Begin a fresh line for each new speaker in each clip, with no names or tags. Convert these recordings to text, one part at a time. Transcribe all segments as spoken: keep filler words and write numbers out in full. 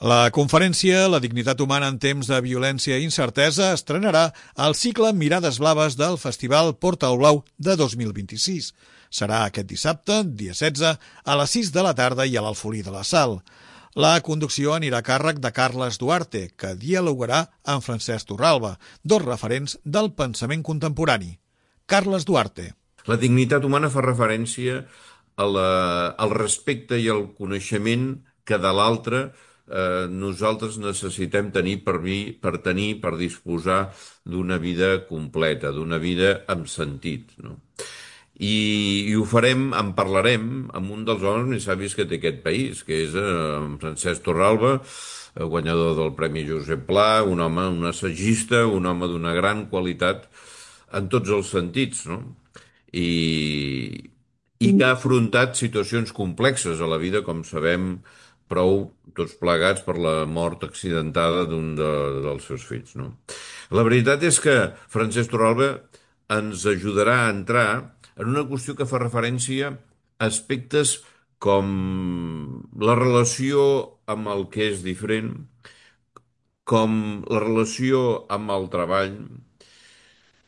La conferència La dignitat humana en temps de violència i incertesa estrenarà el cicle Mirades blaves del Festival Portal Blau de dos mil vint-i-sis. Serà aquest dissabte, dia setze, a les sis de la tarda i a l'Alfolí de la Sal. La conducció anirà a càrrec de Carles Duarte, que dialogarà amb Francesc Torralba, dos referents del pensament contemporani. Carles Duarte.
La dignitat humana fa referència a la, al respecte i al coneixement que de l'altre eh, nosaltres necessitem tenir per, vi, per tenir, per disposar d'una vida completa, d'una vida amb sentit, no? I, i ho farem, en parlarem amb un dels homes més savis que té aquest país, que és eh, Francesc Torralba, guanyador del Premi Josep Pla, un home, un assagista, un home d'una gran qualitat en tots els sentits, no? I, i que ha afrontat situacions complexes a la vida, com sabem prou tots plegats per la mort accidentada d'un de, dels seus fills, no? La veritat és que Francesc Torralba ens ajudarà a entrar en una qüestió que fa referència a aspectes com la relació amb el que és diferent, com la relació amb el treball,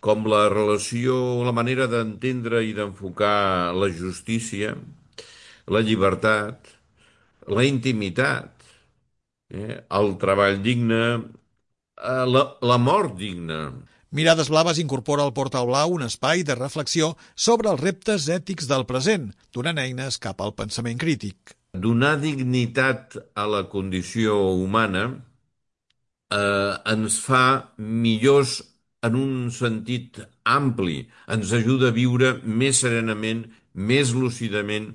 com la relació, la manera d'entendre i d'enfocar la justícia, la llibertat, la intimitat, eh, el treball digne, eh, la, la mort digna.
Mirades blaves incorpora al Portal Blau un espai de reflexió sobre els reptes ètics del present, donant eines cap al pensament crític.
Donar dignitat a la condició humana eh, ens fa millors en un sentit ampli, ens ajuda a viure més serenament, més lúcidament,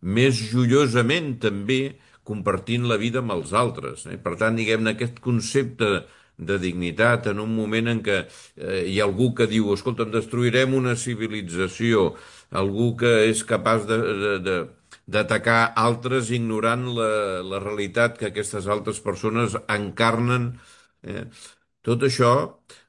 més joiosament també, compartint la vida amb els altres. Eh? Per tant, diguem-ne, aquest concepte de dignitat en un moment en què eh, hi ha algú que diu, escolta, destruirem una civilització, algú que és capaç de, de, de, d'atacar altres ignorant la, la realitat que aquestes altres persones encarnen. Eh? Tot això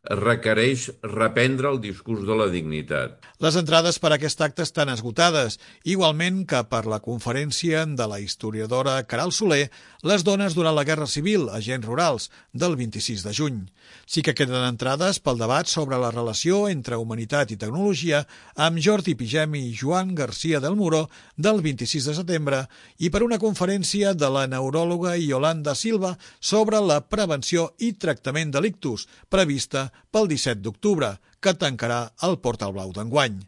requereix reprendre el discurs de la dignitat.
Les entrades per a aquest acte estan esgotades, igualment que per la conferència de la historiadora Caral Soler, Les dones durant la Guerra Civil, agents rurals, del vint-i-sis de juny. Sí que queden entrades pel debat sobre la relació entre humanitat i tecnologia amb Jordi Pigem i Joan García del Muro, del vint-i-sis de setembre, i per una conferència de la neuròloga Yolanda Silva sobre la prevenció i tractament delictus, prevista pel disset d'octubre, que tancarà el Portal Blau d'enguany.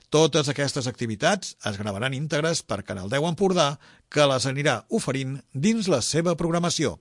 Totes aquestes activitats es gravaran íntegres per Canal deu Empordà, que les anirà oferint dins la seva programació.